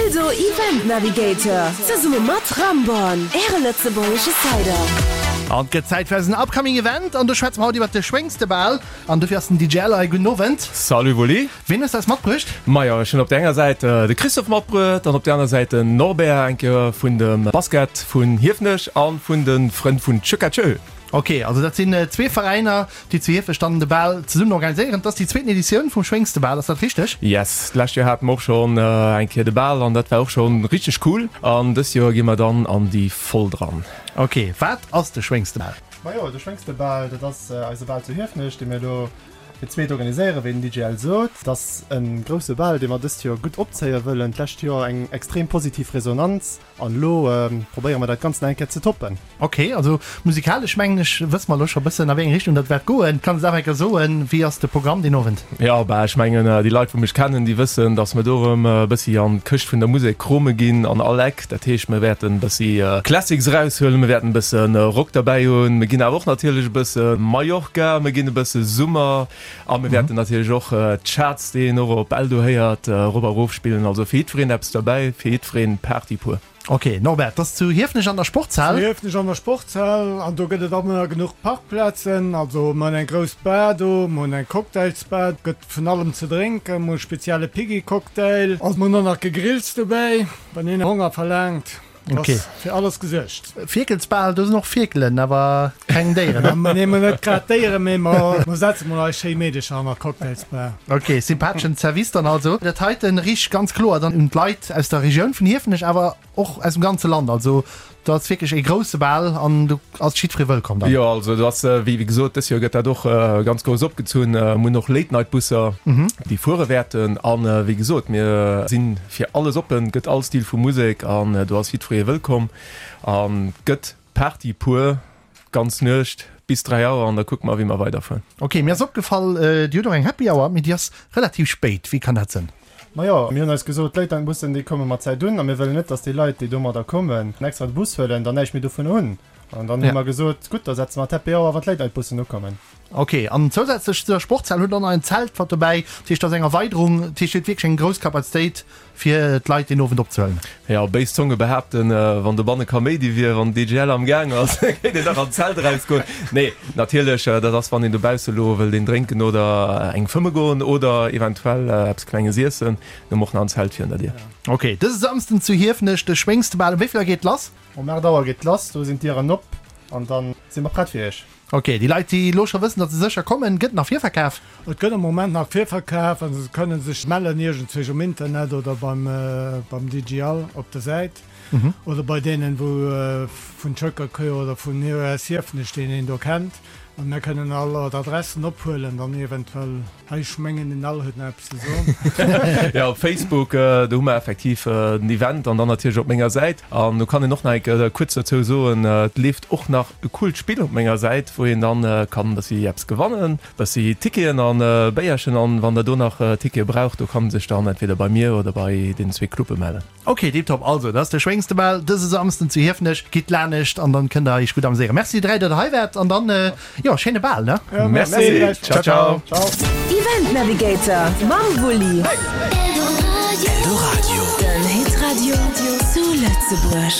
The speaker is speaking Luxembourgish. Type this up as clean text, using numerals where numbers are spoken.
Eldo Event Navigator zesumme mat Ramborn, Äre lëtzebuergesche Cider. An et gëtt Zäit fir eisen upcoming Event an do schwätze mer haut iwwert de Schwéngstebal an dofir ass den DJ Ell hei. Gudden Owend. Salut Wulli. Ween hues de eis matbruecht? Majo, ech hunn op der enger Säit de Christophe matbruet an op der aner Säit den Norbert, eng Kéier vun dem Basket vun Hiefenech a vun de Frënn vun Tschökatschö. Ok, also dat sinn zwee Veräiner, déi zu Hiefenech dann de Bal zesummen organiséieren. Et ass déi zweeten Editioun vum Schwéngstebal, ass dat richteg? Yes, d'lescht Joer hate mer och schonn eng Kéier de Bal an dat war och schonn richteg cool. An dëst Joer gi mer dann an déi voll dran. Ok, wat ass de Schwéngstebal? Majo, de Schwéngstebal, dat ass eise Bal zu Hiefenech, dee mir elo fir d'zweet organiséieren, wéi den DJ Al sot. Et ass e grousse Bal, dee mer dëst Joer gutt opzéie wëllen. D'lescht Joer eng extrem positiv Resonanz. An elo probéiere mer dat Ganzt nach eng Kéier ze toppen. Ok, also musikalesch mengen ech wësse mer elo scho bëssen a wéi eng Richtung dat wäert goen. Kanns et awer eng Kéier soen, wéi ass de Programm deen Owend? Jo, bah ech mengen déi Leit wou mech kennen, déi wëssen, datt mer do erëm e bëssi an d'Këscht vun der Musek krome ginn an all Eck. Dat heescht mer wäerten e bëssi Classics eraushuelen, mer wäerten e bësse Rock derbäi hunn, mer ginn awer och natierlech e bësse Mallorca, mer ginn e bësse Summer a mer wäerten natierlech och d'Charts, déi een och op Eldo héiert, erop a erof spillen. Also fir jiddwereen eppes derbäi, fir jiddwereen Party pur. Ok, Norbert, 't ass zu Hiefenech an der Sportshal. Zu Hiefenech an der Sportshal, an do gëtt et ëmmer genuch Parkplazen. Also mer hunn eng grouss Bar do, mer hunn eng Cocktailsbar, et gëtt vun allem ze drénken, mer hu spezielle Piggy-Cocktail, also mer hunn och nach Gegrills dobäi, wann een Honger verlaangt. Ok. Ass fir alles gesuergt. Fierkelsbal, do sinn och Fierkelen, awer keng Déieren, ne? Mer nemen net grad Déieren, mee mer setze mol eis schéi Meedecher an der Cocktailsbar. Ok, sympatheschen Service dann also. Dat heiten riicht ganz kloer dann un d'Leit aus der Regioun vun Hiefenech, awer och aus dem ganze Land. Also do ass wierklech ee grousse Bal an do ass jiddweree wëllkomm dann. Jo, also do ass, wéi gesot, dës Joer gëtt dat och ganz grouss opgezunn. Mir hunn och Late-Night-Busser, déi fuere wäerten. An wéi gesot, mir sinn Fir alles oppen, gëtt all Stil vu Musek an do ass jiddweree wëllkomm an gëtt Party pur d'ganz Nuecht bis 3 Auer an da kucke mer wéi mer weiderfueren. Ok, mir ass opgefall, dir hutt och eng Happy Hour, mee déi ass relativ spéit. Wéi kann dat sënn? Majo, mir hunn eis gesot, d'Leit an d'Bussen déi komme mat Zäit un a mir wëllen net, dass déi Leit déi domadder kommen, en extra de Bus huelen, dann näischt méi dovun hunn. An dann hu mer gesot, gutt, da setze mer d'Happy Hour, wann d'Late Night Bussen ukommen. Ok, an zousätzlech zu der Sportshal hutt der och nach en Zelt mat dobäi. Dat heescht, dat ass eng Erweiderung. Dat heescht, dir hutt wierklech eng grouss Kapazitéit, fir d'Leit deen Owend opzehuelen. Jo, béis Zonge behaapten, wann dobanne Kaméidi wier, wann den DJL am Gaang ass, kéint een nach an d'Zelt erausgoen. Nee, natierlech, dat ass, wann een dobausse elo wëllt een drénken oder eng fëmme goen oder eventuell eppes Klenges iessen, hu mer och nach en Zelt virun der Dier. Ok, dëse Samsden zu Hiefenech, de Schwéngstebal. Um wéi vill Auer geet lass? Um 8 Auer geet lass, do sinn d'Dieren op an dann si mer prett fir iech. Ok, déi Leit déi elo scho wëssen datt se sécher kommen, gëtt nach Virverkaf? Et gëtt am Moment nach Virverkaf an se kënnen sech mellen iergendzwousch um Internet oder beim beim DGL op der Säit oder bei deenen wou vun Schëckerkuer oder vun aus Hiefenech deen een do kennt an mir kënnen all d'Adressen ophuelen dann eventuell. Hei, ech mengen den Al huet nach eppes ze soen. Jo, op Facebook, do hu mer effektiv den Event an dann natierlech op menger Säit. An do kann een och nach eng Kéier kuerz dozou soen, et leeft och nach e coolt Spill op menger Säit, wou een dann kann e bëssi eppes gewannen, e bëssi Ticketen an Béierchen. An wann der do nach Tickete braucht, do kann en sech dann entweder bei mir oder bei deenen zwee Clube mellen. Ok, tiptop, also dat ass de Schwéngstebal dëse Samsden zu Hiefenech. Gitt laanescht an dann kënnt der iech gutt ameséieren. Merci 3 dat der hei waart an dann jo schéine Bal ne. Merci, ciao ciao. Event Navigator mam Wulli. Eldoradio, den Hitradio zu Lëtzebuerg.